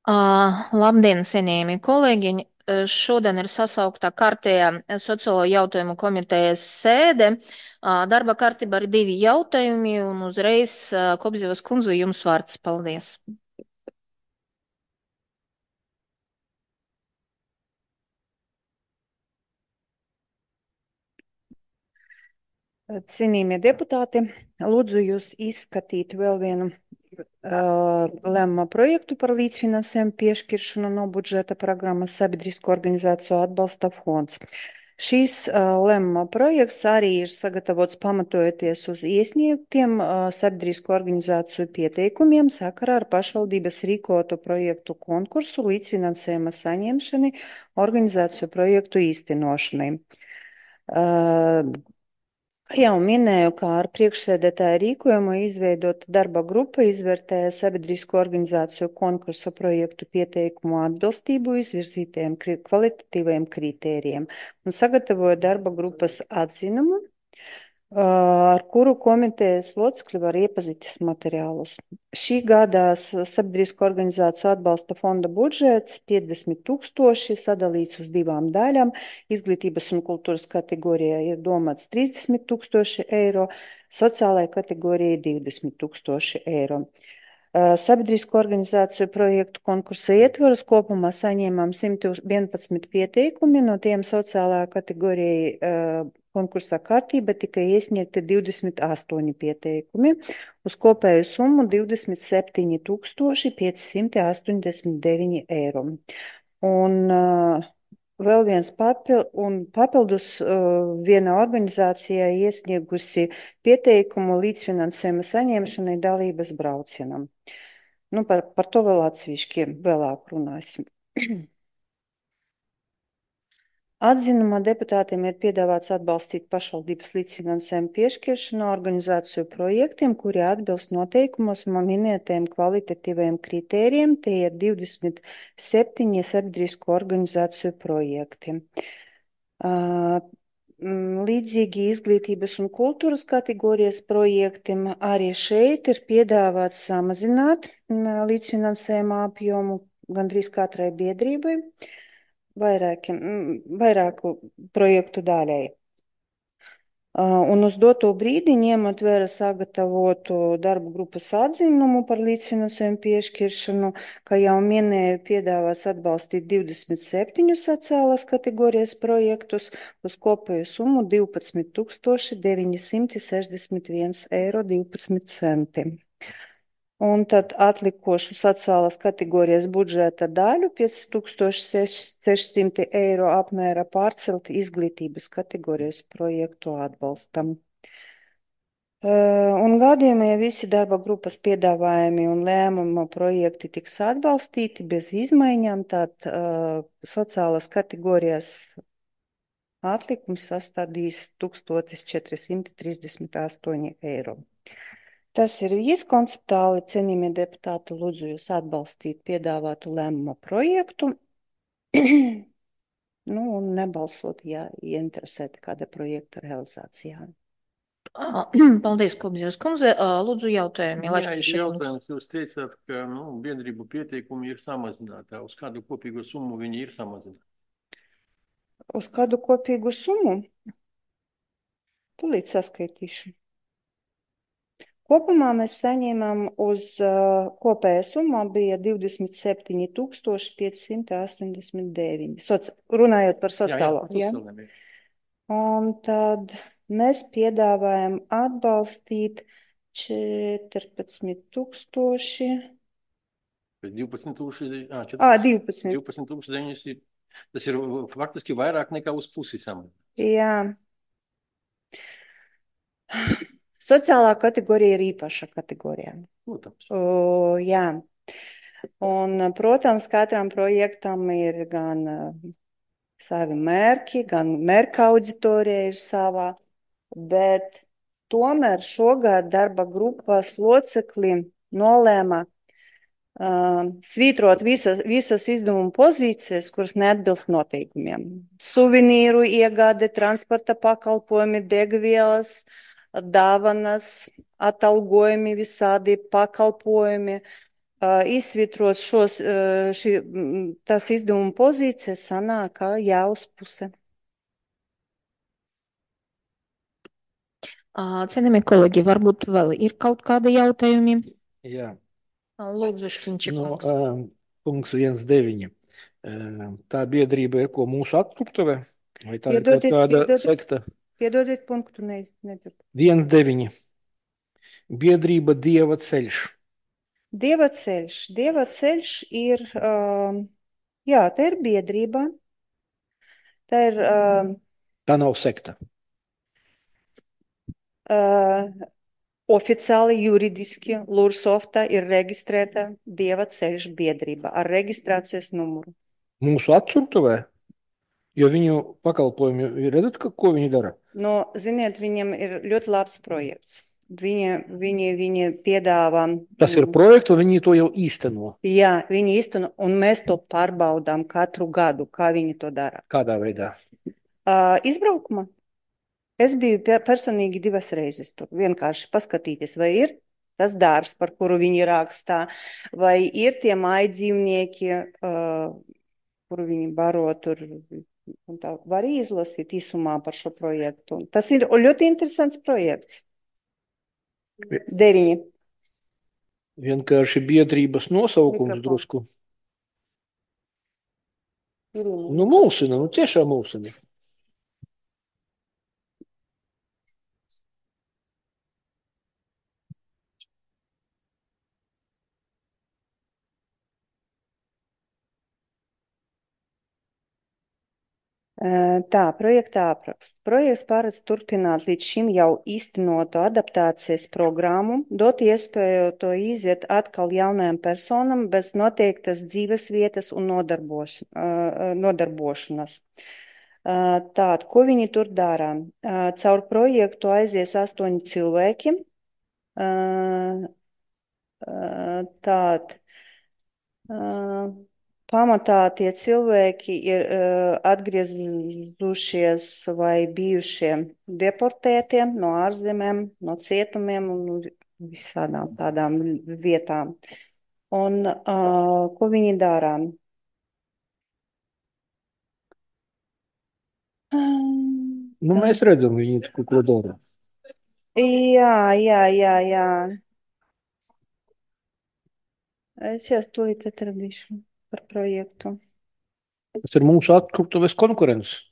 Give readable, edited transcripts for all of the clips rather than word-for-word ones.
Labdien, cienījamie kolēģi! Šodien ir sasauktā kārtējā sociālo jautājumu komitejas sēde. Darba kārtībā ir 2 jautājumi, un uzreiz Kobzevas kundze jums vārds. Paldies! Cienījamie deputāti, lūdzu jūs izskatīt vēl vienu lēmuma projektu par līdzfinansējumu piešķiršanu no budžeta programmas Sabiedrisko organizāciju atbalsta fonds. Šīs lēmuma projekts arī ir sagatavots pamatojoties uz iesniegtiem sabiedrisko organizāciju pieteikumiem sakarā ar pašvaldības rīkotu projektu konkursu līdzfinansējuma saņemšanai organizāciju projektu īstenošanai. Jau minēju, kā ar priekšsēdētāju rīkojumu izveidota darba grupa izvērtēja sabiedrisko organizāciju konkursa projektu pieteikumu atbilstību izvirzītajiem kvalitatīvajiem kritērijiem un sagatavoja darba grupas atzinumu, ar kuru komitejas locekļi var iepazīties materiālus. Šī gada sabiedrisko organizāciju atbalsta fonda budžets 50 000 sadalīts uz 2 daļām. Izglītības un kultūras kategorijā ir domāts 30 000 eiro, sociālajai kategorijai 20 000 eiro. Sabiedrisko organizāciju projektu konkursa ietvaros kopumā saņēmām 111 pieteikumi, no tiem sociālajā kategorijai konkursa kārtība tika iesniegti 28 pieteikumi uz kopēju summu 27 589 eiro. Un vēl viens papildus viena organizācija iesniegusi pieteikumu līdzfinansējuma saņemšanai dalības braucienam. Par to vēl atsevišķi vēlāk runāsim. Atzinumā deputātiem ir piedāvāts atbalstīt pašvaldības līdzfinansējumu piešķiršanu organizāciju projektiem, kuri atbilst noteikumos minētajiem kvalitatīvajiem kritērijiem. Tie ir 27 sabiedrisko organizāciju projekti. Līdzīgi izglītības un kultūras kategorijas projektiem arī šeit ir piedāvāts samazināt līdzfinansējuma apjomu gandrīz katrai biedrībai, vairāku projektu daļai. Un uz doto brīdi, ņemot vērā sagatavotu darba grupas atzinumu par līdzfinansējumu piešķiršanu, kā jau minēju, piedāvāts atbalstīt 27 sociālās kategorijas projektus uz kopēju summu 12 961 eiro 12 centi. Un tad atlikušu sociālās kategorijas budžeta daļu 5600 eiro apmēra pārcelt izglītības kategorijas projektu atbalstam. Un gadījumā, ja visi darba grupas piedāvājumi un lēmuma projekti tiks atbalstīti bez izmaiņām, tad sociālās kategorijas atlikums sastādīs 1438 eiro. Tas ir viss konceptuāli, cienījamie deputāti, lūdzu jūs atbalstīt piedāvātu lēmuma projektu, un nebalsot, ja ieinteresēti kāda projekta realizācijā. Paldies, Kobzevas kundze! Lūdzu, jautājumi. Jā, jautājums. Jūs teicāt, ka biedrību pieteikumi ir samazināti. Uz kādu kopīgu summu viņi ir samazināti? Uz kādu kopīgu summu? Tūlīt saskaitīšu. Kopumā mēs saņēmām uz kopējā summa bija 27 589, runājot par sociālo. Jā. Un tad mēs piedāvājam atbalstīt 14 000. 12 900. Tas ir faktiski vairāk nekā uz pusi samazināts. Jā. Sociālā kategorija ir īpaša kategorija. Protams. Jā. Un, protams, katram projektam ir gan savi mērķi, gan mērķa auditorija ir savā, bet tomēr šogad darba grupas locekļi nolēma svītrot visas izdevuma pozīcijas, kuras neatbilst noteikumiem. Suvenīru iegāde, transporta pakalpojumi, degvielas, dāvanas, atalgojumi, visādi pakalpojumi, izsvitrot tās izdevuma pozīcijas, sanāk, kā jāuzpuse. Cienījamie kolēģi, varbūt vēl ir kaut kādi jautājumi? Jā. Lūdzu, Šķiņķa kungs. Punkts 1.9. Tā biedrība ir ko mūsu atkruptuvē? Vai tā ir kaut kāda sekta? Piedodiet punktu, nedzirdu. 1.9. Biedrība Dieva ceļš. Dieva ceļš. Dieva ceļš ir, jā, tā ir biedrība. Tā ir Tā nav sekta. Oficiāli juridiski Lursofta ir reģistrēta Dieva ceļš biedrība ar reģistrācijas numuru. Mūsu atkruptuvē? Jo viņu pakalpojumi, redzat, ko viņi dara? No, ziniet, viņiem ir ļoti labs projekts. Viņi piedāvā. Tas ir projekts, un viņi to jau īsteno. Jā, viņi īsteno, un mēs to pārbaudām katru gadu, kā viņi to dara. Kādā veidā? Izbraukumā. Es biju personīgi 2 reizes tur. Vienkārši paskatīties, vai ir tas dārs, par kuru viņi rakstā, vai ir tie mājdzīvnieki, kuru viņi baro tur. Un tā var izlasīt īsumā par šo projektu. Tas ir ļoti interesants projekts. 9. Vienkārši biedrības nosaukums drusku. Nu, mulsina, tiešām mulsina. Tā, projekta apraksts. Projekts paredz turpināt līdz šim jau īstenoto adaptācijas programmu, dot iespēju to iziet atkal jaunajām personām bez noteiktas dzīves vietas un nodarbošanas. Tātad, ko viņi tur dara? Caur projektu aizies 8 cilvēki. Tātad, pamatā tie cilvēki ir atgriezušies vai bijušie deportētie no ārzemēm, no cietumiem un visādām tādām vietām. Un ko viņi dara? Nu, mēs redzam, viņi ko dara. Jā. Es jau tūlīt atradīšu par projektu. Tas ir mūsu atkruptuves konkurence.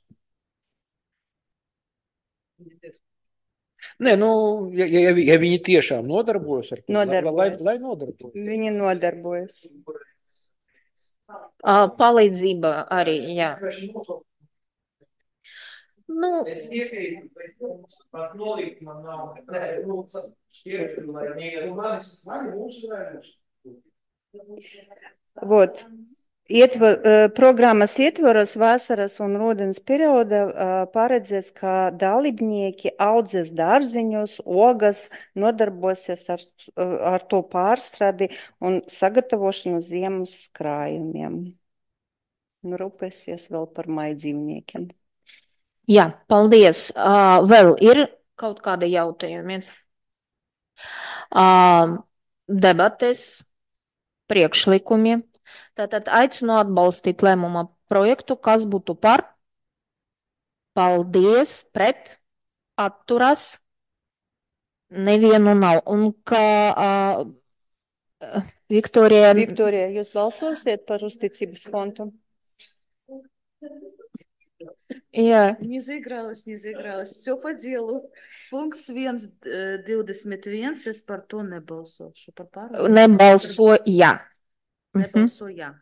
Nē, nu, ja viņi tiešām nodarbojas ar to, lai nodarbojas. Viņi nodarbojas. Palīdzība arī, jā. Nu, Es piekrītu, bet pat nolikt man nav. Šķiešu, lai viņi mani mūsu vērums. Вот. Programmas ietvaros vasaras un rudens perioda paredzēts, ka dalībnieki audzēs dārziņus, ogas, nodarbosies ar to pārstradi un sagatavošanu ziemas krājumiem. Un rūpēsies vēl par mājdzīvniekiem. jā, paldies. Vēl ir kaut kādi jautājumi? Debates, priekšlikumi. Tātad aicinu atbalstīt lēmuma projektu, kas būtu par, paldies, pret, atturas, nevienu nav. Un kā Viktorija... Viktorija, jūs balsosiet par uzticības fondu? Jā. Не заигралась. Все по делу. Пункт 1.21. Es par to nebalsošu. Par pārējo. Nebalsoja. Nebalsoja.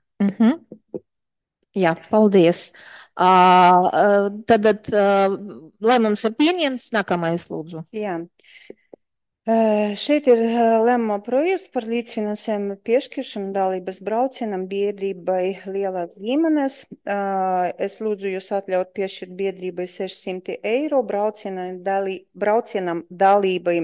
Jā, paldies. Tad lēmums ir pieņemts. Nākamais, lūdzu. Jā. Šeit ir lēmuma projekts par līdzfinansējumu piešķiršanu dalības braucienam biedrībai Lielās ģimenes. Es lūdzu jūs atļaut piešķirt biedrībai 600 eiro braucienam dalībai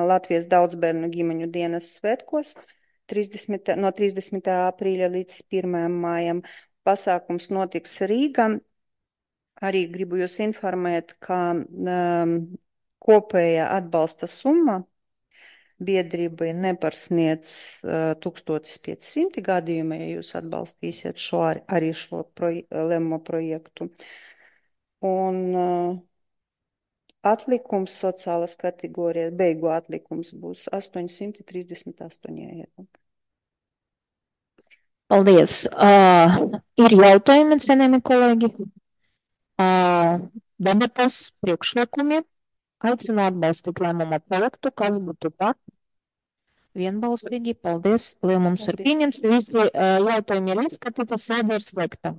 Latvijas daudzbērnu ģimeņu dienas svētkos no 30. aprīļa līdz 1. mājam. Pasākums notiks Rīgā. Arī gribu jūs informēt, ka kopējā atbalsta summa biedrībai neparsniedz 1500 gadījumā, ja jūs atbalstīsiet arī šo lēmumu projektu. Un atlikums sociālas kategorijas, beigu atlikums būs 838 eiro. Paldies. Ir jautājumi, cienījami kolēģi? Debatas, priekšlikumi. Aicinu atbalstīt lēmuma projektu, kas būtu par. Vienbalsīgi, paldies. Lēmums ir Paldies. pieņemts. Visi jautājumi ir izskatīti, sēde ir slēgta.